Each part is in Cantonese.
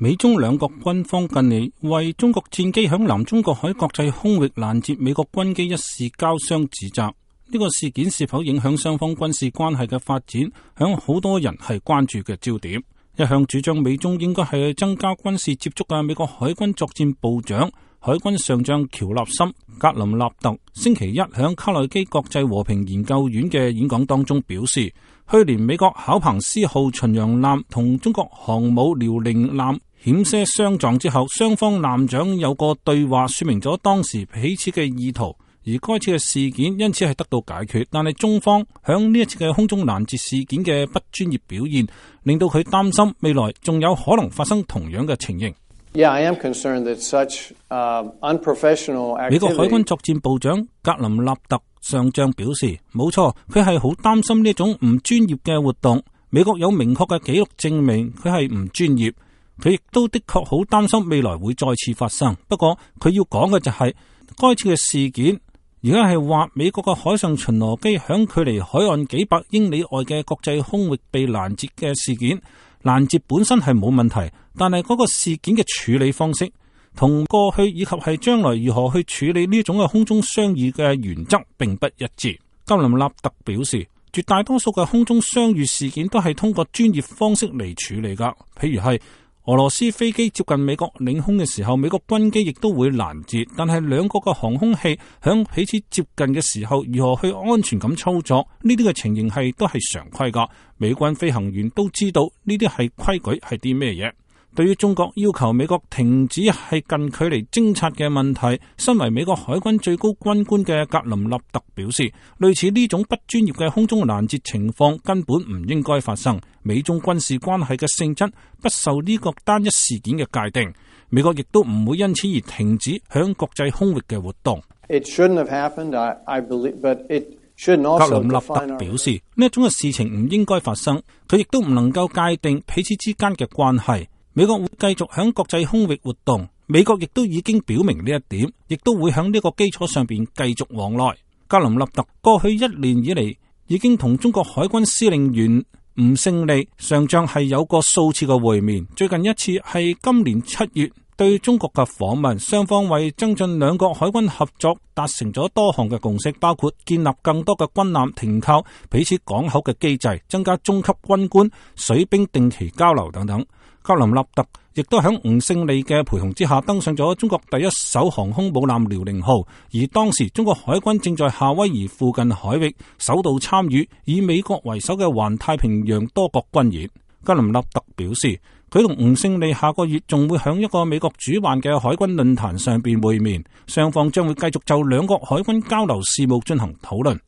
美中兩國軍方近嚟為中國戰機響南中國海國際空域攔截美國軍機一事交相指責。呢個事件是否影響雙方軍事關係嘅發展，響好多人係關注嘅焦點。一向主張美中應該係增加軍事接觸嘅美國海軍作戰部長、海軍上將喬納森·格林納特星期一響卡內基國際和平研究院嘅演講當中表示，去年美國考彭斯號巡洋艦同中國航母遼寧艦險些相撞之後，雙方艦長有個對話，說明咗當時彼此嘅意圖，而該次嘅事件因此係得到解決。但係中方響呢一次嘅空中攔截事件嘅不專業表現，令到佢擔心未來仲有可能發生同樣嘅情形。I am concerned that such unprofessional activity。 美國海軍作戰部長格林納特上將表示，冇錯，佢係好擔心呢種唔專業嘅活動。美國有明確嘅記錄證明佢係唔專業，佢亦都的確好擔心未來會再次發生。不過佢要講嘅就係該次嘅事件，而家係話美國嘅海上巡邏機響距離海岸幾百英里外嘅國際空域被攔截嘅事件。攔截本身係冇問題，但係嗰個事件嘅處理方式同過去以及係將來如何去處理呢種嘅空中相遇嘅原則並不一致。格林納特表示，絕大多數嘅空中相遇事件都係通過專業方式嚟處理噶，譬如係俄羅斯飛機接近美國領空嘅時候，美國軍機亦都會攔截，但係兩國嘅航空器響彼此接近嘅時候，如何去安全咁操作，呢啲嘅情形都係常規噶。美軍飛行員都知道呢啲係規矩係啲咩嘢。對於中國要求美國停止係近距離偵察嘅問題，身為美國海軍最高軍官嘅格林納特表示，類似呢種不專業嘅空中攔截情況根本唔應該發生。美中軍事關係嘅性質不受呢個單一事件嘅界定，美國亦都唔會因此而停止響國際空域嘅活動。It shouldn't have happened, I believe, but it格林納特表示，呢一種嘅事情唔應該發生，佢亦都唔能夠界定彼此之間嘅關係。美國會繼續響國際空域活動，美國亦都已經表明呢一點，亦都會響呢個基礎上邊繼續往來。格林納特過去1年以嚟已經同中國海軍司令員吳勝利上將係有過數次嘅會面，最近一次係今年7月對中國嘅訪問，雙方為增進兩國海軍合作達成咗多項嘅共識，包括建立更多嘅軍艦停靠彼此港口嘅機制，增加中級軍官水兵定期交流等等。格林納特亦都響吳勝利嘅陪同之下登上咗中國第一艘航空母艦遼寧號，而當時中國海軍正在夏威夷附近海域首度參與以美國為首嘅環太平洋多國軍演。格林納特表示，佢同吳勝利下個月仲會響一個美國主辦嘅海軍論壇上邊會面，雙方將會繼續就兩國海軍交流事務進行討論。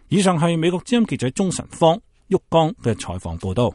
以上係美國之音記者鍾晨芳、旭江嘅採訪報道。